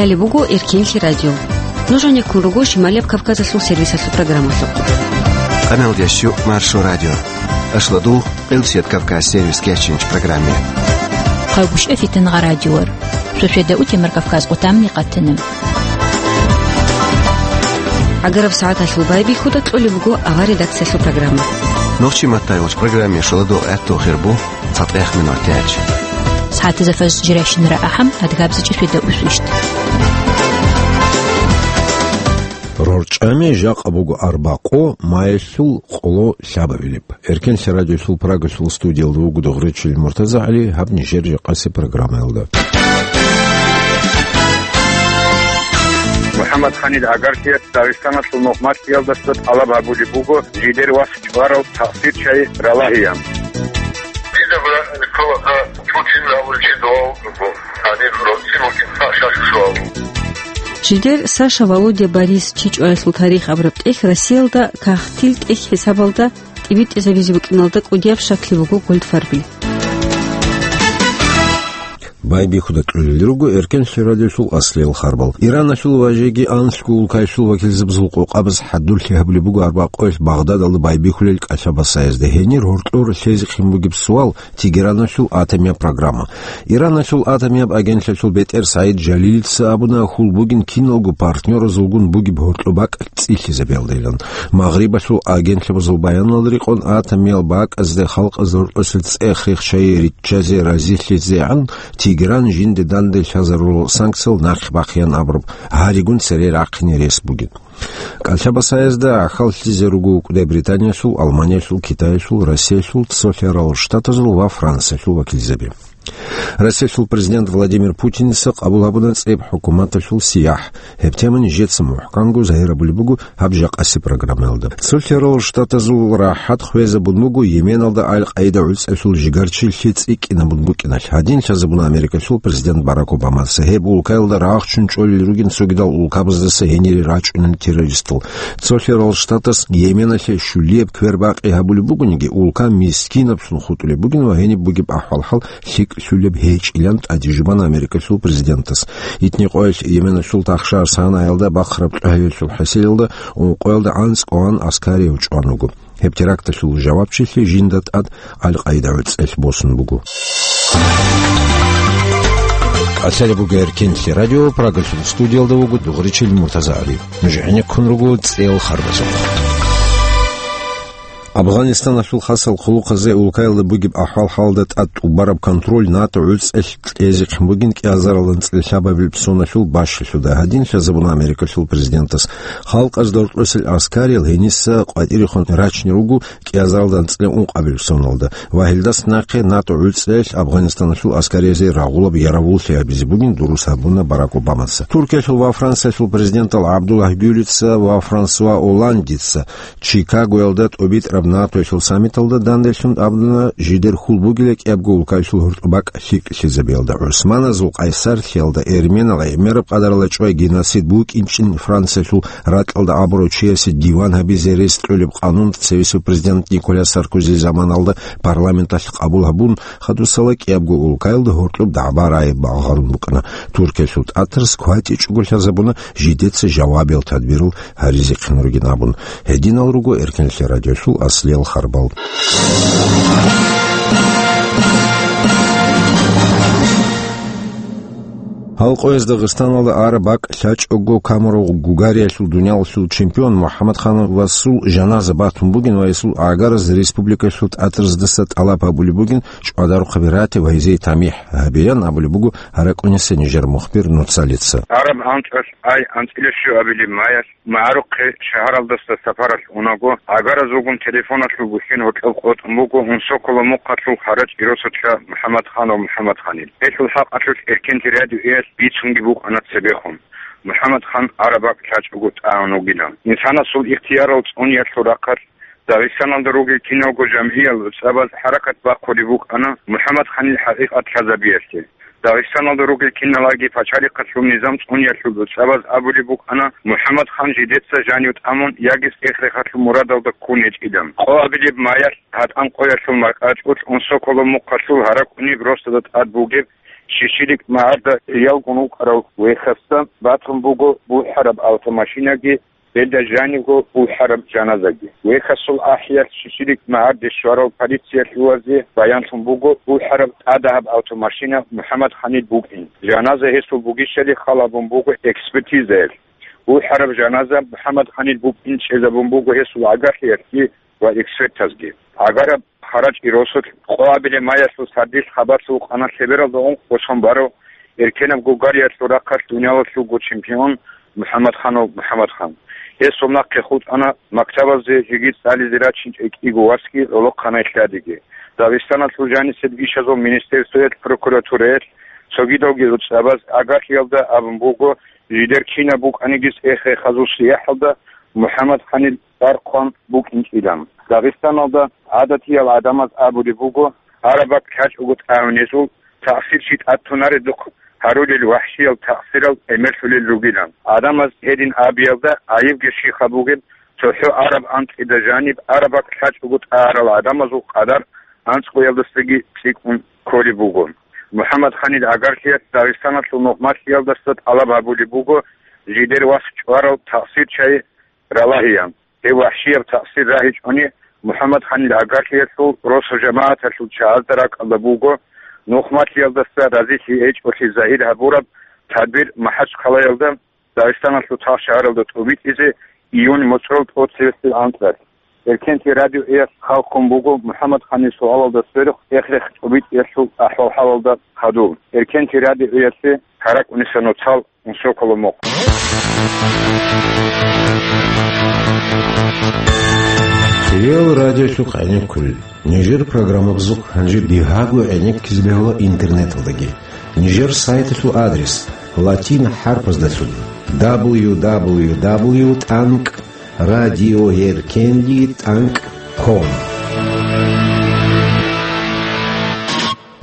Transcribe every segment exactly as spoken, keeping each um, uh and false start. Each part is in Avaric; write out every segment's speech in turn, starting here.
Гьале буго Эркенлъи радио. Нуж гьанеккун руго Шималияб Кавказалъул сервисалъул программалъухъ. Канал дящу Маршо радио. Ашладу Къилсият Кавказ сервис кечинч программе. Хъагушев Фитнагъа радиор. Сосведа утемар Кавказ къутамни къатана. Агараб сагӀаталъул байбихьуда кьолеб буго авар редакциялъул программа. Нохчи маттайулч программе шоладо гӀатту хирбу. ЦатӀех минут тяч. СагӀатазда фаз жиращинара ахӀам, адгабзичӀи светда усвищт. РорчӀами жакъа буго арбакъо, маялъул къоло лъабабилеб. Эркенлъи радиосул Прагалъул студиялда вуго дугъричил МуртазагӀали, гьаб нижер жакъаси программаялда. МухӀаммад Ханил агарлъиялъ Дагъистаналъул нухматлъиялдаса тӀалаб гьабулеб буго жидер вас чӀварал такъсирчиясе ралагьеян. Дида братан Николаха Путин абулчи дугьал буго, гьаниб рорцӀи вукӀин Саша. Жидер Саша, Володя, Борис чи чӀваялъул тарих абураб тӀехь Россиялда кагътил тӀехь хӀисабалда тӀибитӀизабизе букӀиналда кӀудияб щаклъи буго Гольдфарбил. Байбихьуда кьолел руго Эркенлъи радиосул аслиял харбал. Ираналъул ва жеги анлъго улкаялъул вакилзабазул къокъабаз хӀадурлъи гьабулеб буго арбакъоялъ Багъдадалда байбихьулел кӀалъабасаязда. Гьенир гьоркьор лъезехъин бугеб суал: Тегераналъул атомияб программа. Ираналъул атомияб агентлъиялъул бетӀер СагӀид Жалилица абуна, хьул бугин киналго партнёразулгун бугеб гьоркьоб бакӀ цӀилъизабиялдайилан. Магърибалъул агентлъабазул баяналда рекъон, атомиял бакӀазде халкъазда гьоркьоса цӀех рехчайи риччазе разилъизегӀан Тегеран жинде данде лъазарурал санкциял нахъ бахъеян абураб гьаригун цере рахъине рес бугин. КӀалъабасаязда гӀахьаллъизе руго укӀудай Британиялъул, Алманиялъул, Китаялъул, Россиялъул, Цолъарал Штатазул ва Франциялъул вакилзаби. Россиялъул президент Владимир Путиница къабул гьабуна цӀиб хӀукуматалъул сияхӀ. Гьеб тема нижеца мухӀканго загьир гьабулеб буго гьаб жакъаси программаялда. Цолъарал Штатазул рахӀат хвезабун буго Йеменалда Аль-Къаида гӀуцӀиялъул жигарчилъи цӀикӀкӀинабун букӀиналъ. Гьадин лъазабуна Америкалъул президент Барак Обамаца. Гьеб улкаялда рагъ ччун чӀолел ругин цогидал улкабаздаса гьенире рачӀунел террористал. Цолъарал Штатас Йеменалъе щулияб квербакъи гьабулеб бугониги, улка мискинаблъун хутӀулеб бугин ва гьениб бугеб ахӀвал-хӀал лъикӀлъулеб гьечӀилан тӀадежубана Америкалъул президентас. Итникъоялъ Йеменалъул тахшар Санаялда бахъараб кьогьлъиялъул хӀасилалда ункъоялда анцӀгоан аскарияв чӀван вуго. Гьеб теракталъул жавабчилъи жинда тӀад Аль-Къаида гӀуцӀиялъ босун буго. КӀалъалеб буго Эркенлъи радио, Прагалъул студиялда вуго дугъричил МуртазагӀали. Нуж гӀенеккун руго цӀел харбазухъ. Афганистаналъул хасал хъулухъазе улкаялда бугеб ахӀвал-хӀалалда тӀад тӀубараб контроль НАТО гӀуцӀиялъ кьезехъин бугин кӀиазаралда анцӀила лъабабилеб соналъул бащалъуда. Гьадин лъазабуна Америкалъул президентас. Халкъазда гьоркьосел аскариял гьениса къватӀирехун рачине руго кӀиазаралда анцӀила ункъабилеб соналда ва гьелдаса нахъе НАТО гӀуцӀиялъ Афганистаналъул аскариязде рагъулаб яравуллъи гьабизе бугин дурус гьабуна Барак Обамаца. Туркиялъул ва Франциялъул президентал ГӀабдуллагь Гюлица ва Франсуа Олландица Чикагоялда тӀубитӀараб НАТОялъул саммиталда данделъун абуна, жидер хьул бугила кӀиябго улкаялъул гьоркьоб бакӀ лъикӀлъизабиялда, гӀусманазул къайсарлъиялда, эрменал гӀемераб къадаралда чӀвай геноцид букӀинчӀин Франциялъул ракьалда абурав чиясе диван гьабизе рес кьолеб къанун цевесев президент Николя Саркози заманалда парламенталъ къабул гьабун, хадусала кӀиябго улкаялда гьоркьоб дагӀба-рагӀи багъарун букӀана. Туркиялъул тӀатарас кватӀичӀого лъазабуна жидеца жавабиял тадбирал гьаризехъин ругин абун. Гьединал руго Эркенлъи радиолъул аслиял харбал. Гьал къояз Дагъистаналда араб бакӀ лъачӀого камурав гугариялъул дуниялалъул чемпион МухӀаммадхановасул жаназа батун бугин ва гьесул гӀагараз республикалъул тӀатараздаса тӀалаб гьабулеб бугин чӀвадарухъаби рати ва гьезие тамихӀ гьабеян абулеб буго гьаракӀунеса нижер мухбир Нуцалица. Араб анцӀалъ ай анцӀила щуабилеб маялъ МагӀарухъе шагьаралдаса сапаралъ унаго, гӀагаразулгун телефоналъул бухьен гьоркьоб къотӀун буго Унсокола мухъалъул гьарачӀи росулъа МухӀаммадханов МухӀаммадханил. Гьелъул хӀакъалъулъ Эркенлъи радиоялъ бицунги букӀана цебехун, МухӀаммадхан араб бакӀ лъачӀого тӀагӀун вугилан. Инсанасул ихтиярал цӀуниялъул рахъалъ Дагъистаналда ругел киналго жамгӀиял гӀуцӀабаз хӀаракат бахъулеб букӀана МухӀаммадханил хӀакъикъат лъазабиялъе. Дагъистаналда ругел киналаги пачалихъалъул низам цӀуниялъул гӀуцӀабаз абулеб букӀана МухӀаммадхан жидеца жанив тӀамун яги цӀех-рехалъул мурадалда ккун гьечӀилан. Къо абилеб маялъ гьатӀан къоялъул маркӀачӀулъ Унсокола мухъалъул гьаракӀуниб росдада тӀад бугеб Шиширик магӀарда ялгун вукӀарав вехасда батун буго бухӀараб автомашинаги, гьелда жанибго бухӀараб жаназаги. Вехасул ахӀиялъ Шиширик магӀарде щварал полициялъувазде баянлъун буго бухӀараб тӀадагьаб автомашина МухӀаммад Ханил букӀин. Жаназа гьесул бугищали хал гьабун буго экспертизаялъ. БухӀараб жаназа МухӀаммад Ханил букӀин чӀезабун буго гьесул гӀагарлъиялъги ва экспертазги. ГӀагараб хъарачӀги росулъ къоабилеб майялъул сардилъ хабар лъугьана лъебералда ункъго сон барав эркенаб гугариялъул рахъалъ дуниялалъулго чемпион МухӀаммадханов МухӀаммадхан. Гьесул нахъе хутӀана мактабазде жеги цӀализе рачинчӀей кӀиго васги гӀолохъанай лъадиги. Дагъистаналъул жанисеб ишазул министерствоялъ, прокуратураялъ, цогидалги гӀуцӀабаз гӀагарлъиялда абун буго, жидер кинаб букӀаниги цӀех-рехазул сияхӀалда МухӀаммад Ханил цӀар хъван букӀинчӀилан. Дагъистаналда гӀадатиял гӀадамаз абулеб буго, араб бакӀ лъачӀого тӀагӀунезул, такъсир чи тӀад тунаредухъ гьарулел вахӀшиял такъсирал гӀемерлъулел ругилан. ГӀадамаз гьедин абиялда гӀайибги щибха бугеб, цохӀо араб анкьида жаниб араб бакӀ лъачӀого тӀагӀарал гӀадамазул къадар анцӀгоялдасаги цӀикӀкӀун кколеб буго. МухӀаммад Ханил гӀагарлъиялъ Дагъистаналъул нухмалъиялдаса тӀалаб гьабулеб буго жидер вас чӀварал такъсир чай ралагьеян. Гьев вахӀшияб такъсир рагьичӀони, МухӀаммад Ханил гӀагарлъиялъул росу-жамагӀаталъул чагӀазда ракӀалда буго, нухмалъиялдаса разилъи гьечӀолъи загьир гьабураб тадбир МахӀачхъалаялда, Дагъистаналъул цо шагьаралда тӀубитӀизе июнь моцӀрол тӀоцевесеб анкьалъ. Эркенлъи радиоялъ хал хъун буго МухӀаммад Ханил суалалда сверухъ цӀех-рех тӀубитӀиялъул ахӀвал-хӀалалда хадуб. Эркенлъи радиоялъе КаракӀуниса Нуцал, Инсоколо мохъ. Хириял радиолъухъ гӀенеккулел. Нижер программабазухъ гьанже бигьаго гӀенеккизе бегьула интернеталдаги. Нижер сайталъул адрес латин хӀарпаздалъун: дабл ю дабл ю дабл ю тӀанкӀ радиоеркенлъи тӀанкӀ ком.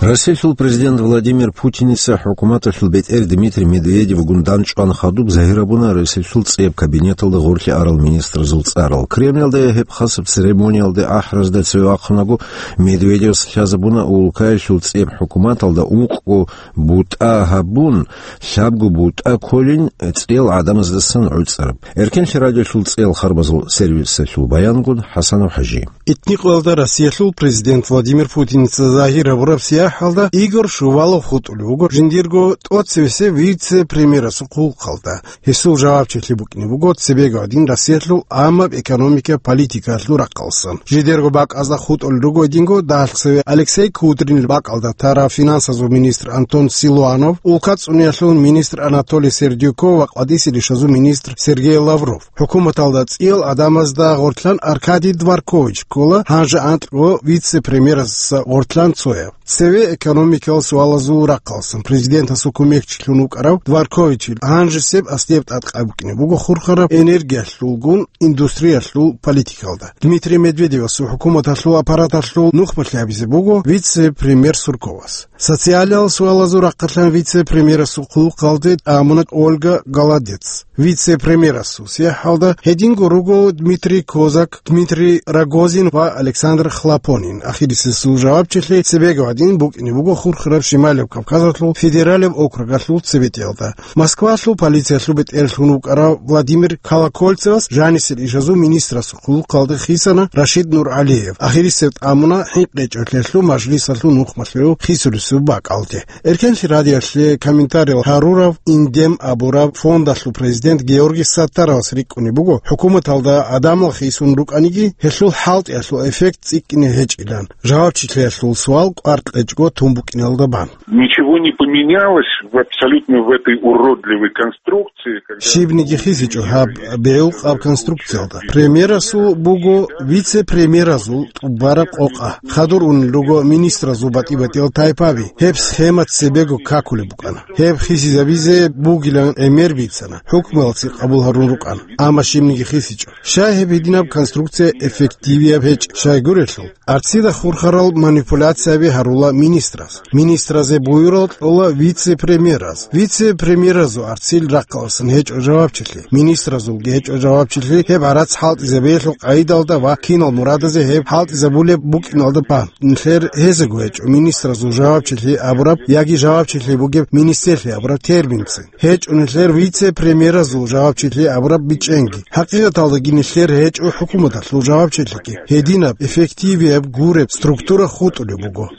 Россиялъул президент Владимир Путиница хӀукуматалъул бетӀер Дмитрий Медведевгун дандчӀван хадуб загьир гьабуна Россиялъул цӀеб кабинеталда гъорлъе арал министрзул цӀарал. Кремльалда гьеб хасаб церемониялде ахӀразда цеве вахъунаго, Медведевас лъазабуна улкаялъул цӀеб хӀукуматалда ункъго бутӀа гьабун, лъабго бутӀа кколин цӀел гӀадамаздасан гӀуцӀараб. Эркенлъи радиолъул цӀел харбазул сервисалъул баянгун ХӀасанов ХӀажи. Этникъоялда Россиялъул президент Владимир Путиница загьир гьабураб сияхӀалда Игорь Шувалов хутӀулев вуго жиндирго тӀоцевесев вице-премьерасул хъулухъалда. Гьесул жавабчилъи букӀине буго цебего гьадин Россиялъул гӀаммаб экономика политикаялъул рахъалсан. Жидерго бакӀазда хутӀулел руго гьединго дагьалъ цеве Алексей Кудрин бакӀалда тарав финансазул министр Антон Силуанов, улка цӀуниялъул министр Анатолий Сердюков ва къватӀисел ишазул министр Сергей Лавров. ХӀукуматалда цӀиял гӀадамазда гъорлъан Аркадий Дворкович ккола, гьанже анкьго вице-премьерасда гъорлъан цояв. Цеве экономикалъул суалазул рахъалсан президентасул кумекчилъун вукӀарав Дворковичил гьанжесеб аслияб тӀадкъай букӀине буго хурхараб энергиялъулгун индустриялъул политикалда. Дмитрий Медведевасул хӀукуматалъул аппараталъул нухмалъи гьабизе буго вице-премьер Сурковас. Социалиялъул суалазул рахъалъан вице-премьерасул хъулухъалде тӀамуна Ольга Голодец. Вице-премьерасул сияхӀалда гьединго руго Дмитрий Козак, Дмитрий Рогозин ва Александр Хлопонин. Ахирисесул жавабчилъи цебего гьадин букӀине буго хурхараб Щималев Кавказалъул федералияб округалъул цебетӀиялда. Москвалъул полициялъул бетӀерлъун вукӀарав Владимир Колокольцевас жанисел ишазул министрасул хъулухъалде хисана Рашид Нуралиев. Ахирисев тӀамуна хӀинкъичӀолъиялъул мажлисалъул нухмалъув хисулесул бакӀалде. Эркенлъи радиоялъе комментариял гьарурав Индем абураб фондалъул президент Георгий Саттаровас рикӀкӀунеб буго, хӀукуматалда гӀадамал хисун рукӀаниги, гьелъул хӀалтӀиялъул эффект цӀикӀкӀине гьечӀилан, жавабчилъиялъул суал кӀвар кьечӀого тун букӀиналда бан. Ничего не поменялось в абсолютно в этой уродливой конструкции, когда... Щибниги хисичӀо гьаб бегӀулхъаб конструкциялда. Премьерасул буго вице-премьеразул тӀубараб къокъа. Хадур унел руго министразул батӀи-батӀиял тайпаби. Гьеб схема цебего какулеб букӀана. Гьеб хисизабизе бугилан гӀемер бицана. ХӀукмуялъе къабул гьарун рукӀана. Амма щибниги хисичӀо. Щай гьеб гьединаб конструкция эффективияб гьечӀеб? Щайгурелъул, арцида хурхарал манипуляцияби гьарула кьола министраз. Министразе буюрал кьола вице-премьераз. Вице-премьеразул арцил рахъаласан гьечӀо жавабчилъи. Министразулги гьечӀо жавабчилъи гьеб гӀарац хӀалтӀизабиялъул къайдалда ва кинал мурадазе гьеб хӀалтӀизабулеб букӀиналда бан. Нилъер гьезего гьечӀо министразул жавабчилъи абураб яги жавабчилъи бугеб министрлъи абураб терминцин. ГьечӀо нилъер вице-премьеразул жавабчилъи абураб бичӀчӀенги. ХӀакъикъаталдаги нилъер гьечӀо хӀукуматалъул жавабчилъиги. Гьединаб эффективияб гуреб структура хутӀулеб буго.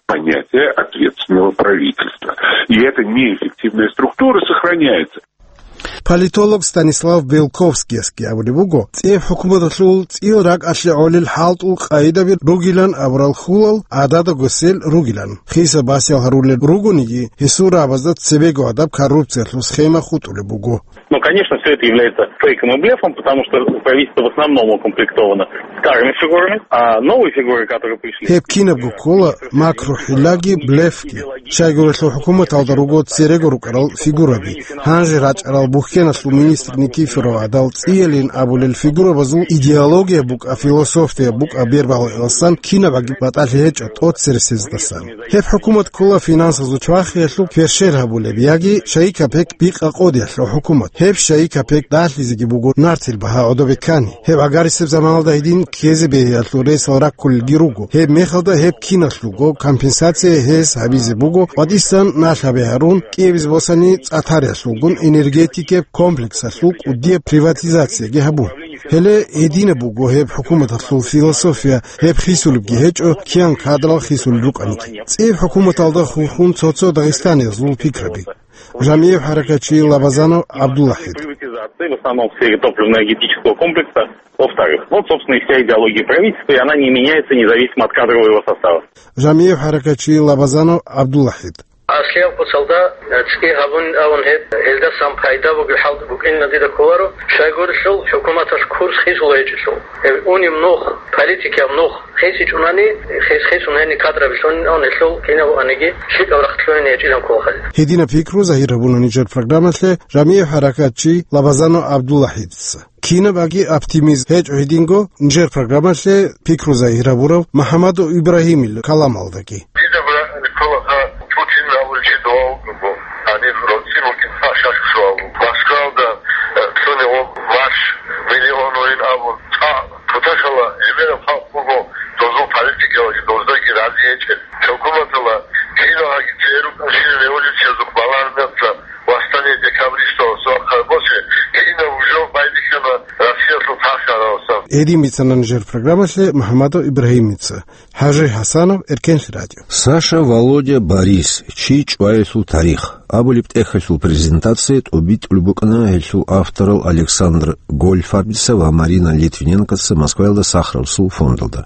Понятие ответственного правительства. И эта неэффективная структура сохраняется. Политолог Станислав Белковскиясги абулеб буго, цӀеб хӀукуматалъул цӀил ракӀалъе гӀолел хӀалтӀул къайдаби ругилан абурал хьулал гӀададаго сел ругилан. Хиса басиял гьарулел ругониги, гьесул рагӀабазда цебего гӀадаб коррупциялъул схема хутӀулеб буго. Ну, конечно, все это является фейком и блефом, потому что правительство в основном укомплектовано старыми фигурами, а новые фигуры, которые пришли... Гьеб кинабго ккола макру хӀиллаги блефги. Щайгурелъул хӀукуматалда руго церего рукӀарал фигураби. Гьанже рачӀарал бухьеналъул министр Никифоров гӀадал цӀиялин абулел фигурабазул идеология букӀа, философия букӀа бербалгӀеласан кинабаги батӀалъи гьечӀо тӀоцересездасан. Гьеб хӀукумат ккола финансазул чвахиялъул пешер гьабулеб яги шайикапек бикъа къодиялъул хӀукумат. Гьеб шайикапек далъизеги буго нартил багьа гӀодобе ккани. Гьеб гӀагарисеб заманалда гьедин ккезе бегьиялъул ресал раккулелги руго. Гьеб мехалда гьеб киналъулго компенсация гьес гьабизе буго, къватӀисан налъ гьабе гьарун, кӀиабизе босани цӀатариялъулгун энергетикеб комплексалъул кӀудияб приватизацияги гьабун. Гьеле гьединаб буго гьеб хӀукуматалъул философия, гьеб хисулебги гьечӀо, киян кадрал хисулел рукӀаниги. ЦӀиб хӀукуматалда хурхун цо-цо дагъистаниязул пикраби. Жамиев хӀаракатчи Лабазанов ГӀабдулахӀид. Приватизация в основном в сфере топливно-энергетического комплекса. Во-вторых, вот, собственно, и вся идеология правительства, и она не меняется независимо от кадрового состава. Жамиев хӀаракатчи Лабазанов ГӀабдулахӀид. Аслияб куцалда, э, цӀи гьабун авун гьеб, гьелдасан пайда бугеб хӀалтӀи букӀин дида кколаро, щайгурелъул хӀукуматалъ курс хисула гьечӀелъул. Гьеб унеб нух, политикияб нух хисичӀунани, хис-, хисун гьениб кадраби лъунин авун гьелъул кинаб бугониги лъикӀаб рахъ лъугьине гьечӀилан кколахъали. Гьединаб пикру загьир гьабуна нижер программалъе Жамиев хӀаракатчи Лабазанов ГӀабдулахӀидца. Кинабаги оптимизм гьечӀо гьединго нижер программалъе пикру загьир гьабурав МухӀаммадов Ибрагьимил каламалдаги. Дида братани кколаха Путин абулев чи дова вукӀаго, гьаниб роцӀцӀи вукӀин, а, шашка суал вуго. Москвалда, э, цони гъоб марш миллион вугин абун, цӀакъ туташала гӀемераб халкъ буго, дозул политикаялги доздаги рази гьечӀел. ХӀукуматала киналги церукӀанщина революциязухъ балагьараб мехалъ восстание декабристов, сохар босе, кинаб уже байбихьана Россиялъул тасараласан. Гьедин бицана нижер программалъе МухӀаммадов Ибрагьимица. ХӀажи ХӀасанов, Эркенлъи радио. Саша, Володя, Борис, чи чӀваялъул тарих абулеб тӀехьалъул презентация тӀубитӀулеб букӀана гьелъул авторал Александр Гольдфарбица ва Марина Литвиненкоца Москваялда Сахаровсул фондалда.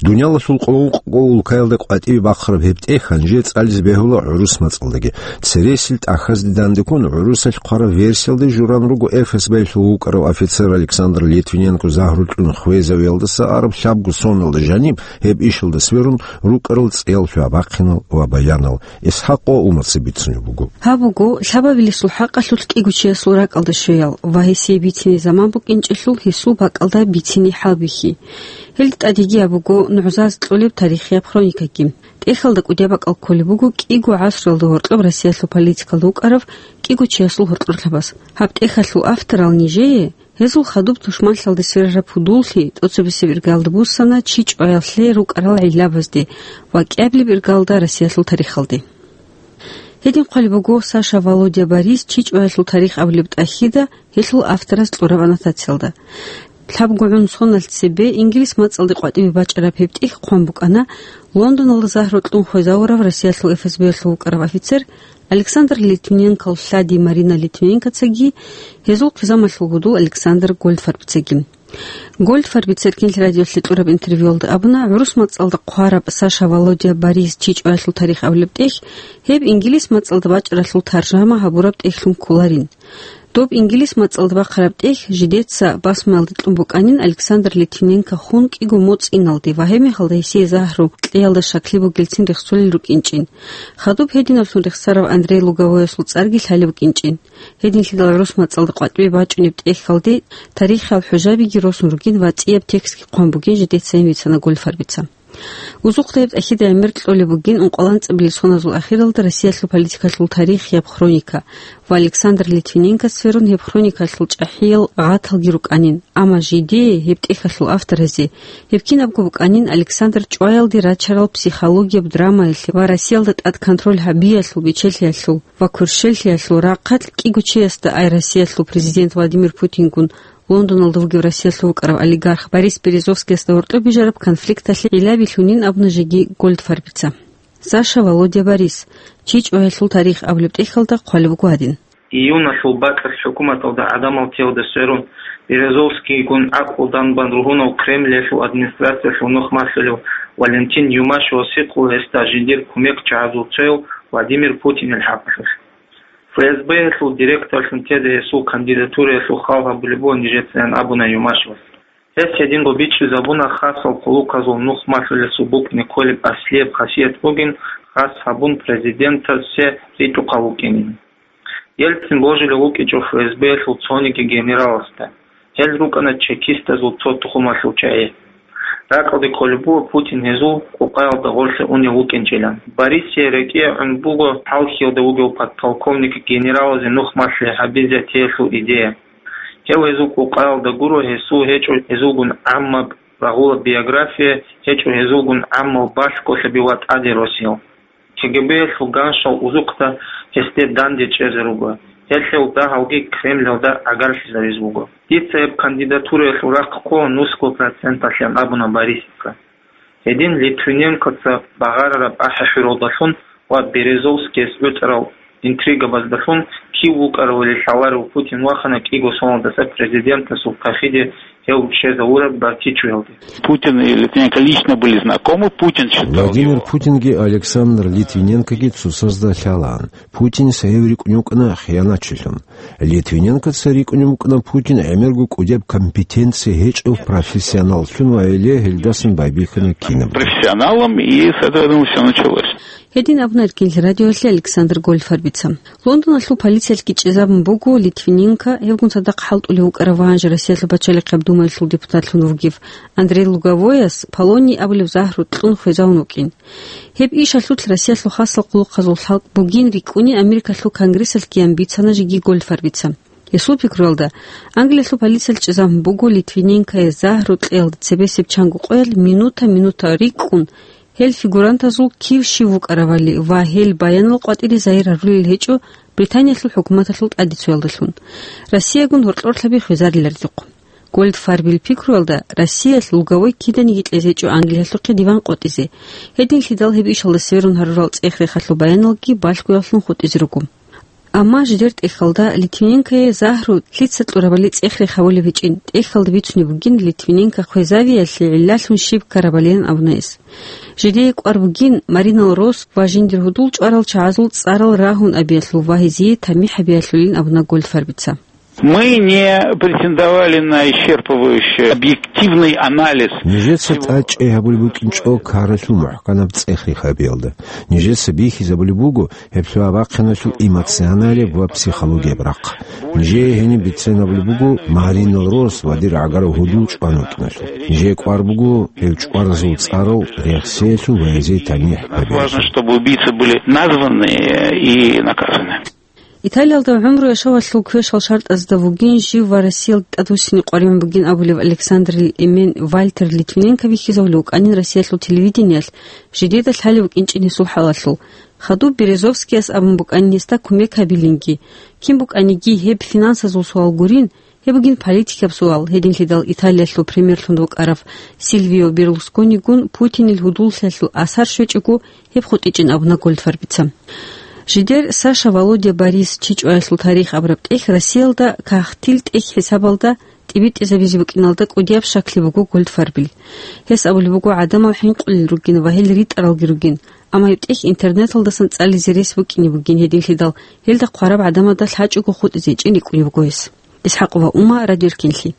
Дуниялалъул къо-, къо-, улкаялда къватӀибе бахъараб гьеб тӀехь гьанже цӀализе бегьула гӀурус мацӀалдаги. Цересел тӀахьазде дандеккун гӀурусалъ хъвараб версиялда журан руго ФСБ-лъул вукӀарав офицер Александр Литвиненко загьру кьун хвезавиялдаса араб лъабго соналда жаниб гьеб ишалда сверун рукӀарал цӀиялъуя бахъинал ва баянал. ИсхӀакъ ва Умаца бицунеб буго. Гьаб буго лъабабилесул хӀакъалъулъ кӀиго чиясул ракӀалда щвеял ва гьесие бицине заман букӀинчӀелъул гьесул бакӀалда бицине хӀалбихьи. Гьелда тӀадеги гьаб буго нугӀзазе кьолеб тарихияб хроникаги. ТӀехьалда кӀудияб бакӀал кколеб буго кӀиго гӀасралда гьоркьоб Россиялъул политикалда вукӀарав кӀиго чиясул гьоркьор лъабаз. Гьаб тӀехьалъул авторал нижее гьезул хадуб тушманлъиялде сверараб пудуллъи тӀоцебесеб иргалда буссана чи чӀваялъе рукӀарал гӀиллабазде ва кӀиабилеб иргалда Россиялъул тарихалде. Гьедин хъвалеб буго Саша, Володя, Борис чи чӀваялъул тарих абулеб тӀахьида гьелъул авторас кьураб аннотациялда. Лъабго гӀун соналъ цебе Ингилис мацӀалде къватӀибе бачӀараб гьеб тӀехь хъван букӀана Лондоналда загьру кьун хвезавурав Россиялъул ФСБ-ялъул вукӀарав офицер Александр Литвиненкол лъади Марина Литвиненкоцаги гьезул хъизамалъул гьудул Александр Гольдфарбицаги. Гольдфарбица Эркенлъи радиолъе кьураб интервьюялда абуна, гӀурус мацӀалда хъвараб Саша, Володя, Борис чи чӀваялъул тарих абулеб тӀехь гьеб Ингилис мацӀалда бачӀаралъул таржама гьабураб тӀехьлъун кколарин. Доб Ингилис мацӀалда бахъараб тӀехь жидеца басмаялде кьун букӀанин Александр Литвиненко хун кӀиго моцӀиналде ва гьебмехалда гьесие загьру кьеялда щаклъи бугелцин рехсолел рукӀинчӀин. Хадуб гьединаблъун рехсарав Андрей Луговоясул цӀарги лъалеб букӀинчӀин. Гьединлъидал гӀурус мацӀалда къватӀибе бачӀунеб тӀехьалде тарихиял хӀужабиги росун ругин ва цӀияб текстги хъван бугин жидецайин бицана Гольдфарбица. Узухъда гьеб тӀахьида гӀемер кьолеб бугин ункъоялда анцӀабилеб соназул ахиралда Россиялъул политикалъул тарихияб хроника ва Александр Литвиненкоца сверун гьеб хроникалъул чӀахӀиял гъаталги рукӀанин, амма жидее, гьеб тӀехьалъул авторазе, гьеб кинабго букӀанин Александр чӀваялде рачарал психологияб драмаялъе ва Россиялда тӀад контроль гьабиялъул бечелъиялъул ва кверщелъиялъул рахъалъ кӀиго чиясда, ай Россиялъул президент Владимир Путингун Лондоналда вугев Россиялъул вукӀарав олигарх Борис Березовскиясда гьоркьоб бижараб конфликталъе гӀиллаби лъунин абуна жеги Гольдфарбица. Саша, Володя, Борис, чи чӀваялъул тарих абулеб тӀехьалда хъвалеб буго гьадин. Июналъул бакӀалъ хӀукуматалда гӀадамал теялде сверун, Березовскийгун гӀакълу данбан ругьунав Кремльялъул администрациялъул нух малъулев Валентин Юмашевас гьикъула гьесда жиндир кумекчагӀазул цояв Владимир Путинил хӀакъалъулъ. ФСБ-ялъул директорлъун тезе гьесул кандидатураялъул хал гьабулеб буго нижецайин абуна Юмашевас. Гьес гьединго бичӀчӀизабуна хасал хъулухъазул нух малъулесул букӀине кколеб аслияб хасият бугин хас гьабун президентасе ритӀухъав вукӀинин. Ельцин божулев вукӀинчӀо ФСБ-ялъул цониги генераласда. Гьел рукӀана чекистазул цо тухумалъул чагӀи. Ракьалде кколеб буго Путин гьезул къукъаялда гъорлъе унев вукӀинчӀилан. Борисие рекӀее гӀун буго Хьалхьиялда вугев подполковник генералазе нух малъи гьабизе теялъул идея. Гьев гьезул къукъаялда гуро, гьесул гьечӀо гьезулгун гӀаммаб рагъулаб биография, гьечӀо гьезулгун гӀаммал балъголъаби ва тӀаде росиялъ. КГБ-ялъул ганшал узухъда гьесде данде чӀезе руго. Гьелъул дагьалги Кремльалда гӀагарлъизаризе буго. Дица гьеб кандидатураялъул рахъ ккола нусго проценталъян абуна Борисица. Гьедин Литвиненкоца багъарараб ахӀи-хӀуралдалъун ва Березовскияс гӀуцӀарал интригабаздалъун кив вукӀаравали лъаларев Путин вахана кӀиго соналдаса президентасул тахиде гьев щвезавураб Бакичуялде. Путин и Литвиненко лично были знакомы. Путин считал Владимир его Путинги Александр Литвиненкоги цоцазда лъалаан. Путинис гьев рикӀкӀунев вукӀана хиянатчилъун. Литвиненкоца рикӀкӀунев вукӀана Путин гӀемерго кӀудияб компетенция гьечӀев профессионаллъун ва гьеле гьелдасан байбихьана кинабго. Профессионалом, и с этого, я думаю, всё началось. Гьедин абуна Эркинлъи радиоялъе Александр Гольдфарбица. Лондоналъул полициялъги чӀезабун буго Литвиненко, гьевгун цадахъ хӀалтӀулев вукӀарав ва гьанже Россиялъул пачалихъияб думаялъул депутатлъун вугев Андрей Луговояс полоний абулеб загьру кьун хвезавун вукӀин. Гьеб ишалъулъ Россиялъул хасал хъулухъазул лъалкӀ бугин рикӀкӀуни Америкалъул Конгрессалъ киян бицана жеги Гольдфарбица. Гьесул пикруялда, Англиялъул полициялъ чӀезабун буго Литвиненкое загьру кьеялда цебесеб чанго къоялъ минута-минута рикӀкӀун, гьел фигурантазул кив щив вукӀаравали ва гьел баянал къватӀире загьир гьарулел гьечӀо Британиялъул хӀукуматалъул тӀадицуялдалъун. Россиягун гьоркьорлъаби хвезарилардухъ. Гольдфарбил пикруялда, Россиялъ Луговой киданиги кьезе гьечӀо Англиялъухъе диван къотӀизе. Гьединлъидал гьеб ишалда сверун гьарурал цӀех-рехалъул баяналги балъгоялъун хутӀизе руго. Амма жидер тӀехьалда Литвиненкое загьру лъица кьурабали цӀех-рех гьавулеб гьечӀин, тӀехьалда бицунеб бугин Литвиненко хвезавиялъе гӀиллалъун щиб ккарабалилан абуна гьес. Жидее кӀвар бугин Маринал Росс ва жиндир гьудул чӀварал чагӀазул цӀарал рагьун абиялъул ва гьезие тамихӀ гьабиялъулин абуна Гольдфарбица. Мы не претендовали на исчерпывающий объективный анализ. Нижеца тӀадчӀей гьабулеб букӀинчӀо ккаралъул мухӀканаб цӀех-рех гьабиялда. Нижеца бихьизабулеб буго гьеб лъугьа-бахъиналъул эмоционалияб ва психологияб рахъ. Нижее гьениб бицен абулеб буго Маринал Росс ва дир гӀагарав гьудул чӀван вукӀиналъул. Нижее кӀвар буго гьев чӀваразул цӀарал рехсеялъул ва гьезие тамихӀ гьабиялъул. Важно, чтобы убийцы были названы и наказаны. Италиялда гӀумру яшавалъул квешал шартӀазда вугин жив ва Россиялда тӀадвуссине къваригӀун бугин абулев Александрил эмен Вальтер Литвиненко вихьизавулев вукӀанин Россиялъул телевидениялъ, жидеда лъалев вукӀинчӀин гьесул хӀалалъул. Хадуб Березовскияс абун букӀанин гьесда кумек гьабилинги. Кин букӀаниги гьеб финансазул суал гурин, гьеб бугин политикаб суал, гьединлъидал Италиялъул премьерлъун вукӀарав Сильвио Берлусконигун Путинил гьудуллъиялъул асар щвечӀого, гьеб хутӀичӀин абуна Гольдфарбица. Жидер Саша, Володя, Борис, чи чӀваялъул тарих абураб тӀехь Россиялда кагътил тӀехь хӀисабалда тӀибитӀизабизе букӀиналда кӀудияб щаклъи буго Гольдфарбил. Гьес абулеб буго, гӀадамал хӀинкъулел ругин ва гьел ритӀаралги ругин, амма гьеб тӀехь интернеталдасан цӀализе рес букӀине бугин, гьединлъидал гьелда хъвараб гӀадамазда лъачӀого хутӀизе гьечӀин рикӀкӀунеб буго гьес. Исхакъова Ума, Радио Эркинлъи.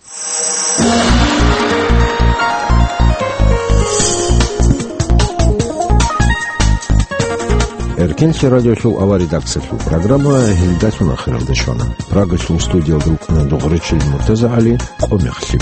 Эркинлъи радиолъул авар редакциялъул программа гьелдалъун ахиралде щвана. Прагалъул студиялда рукӀана Дугъричил МуртазагӀали. Къо мехлъи.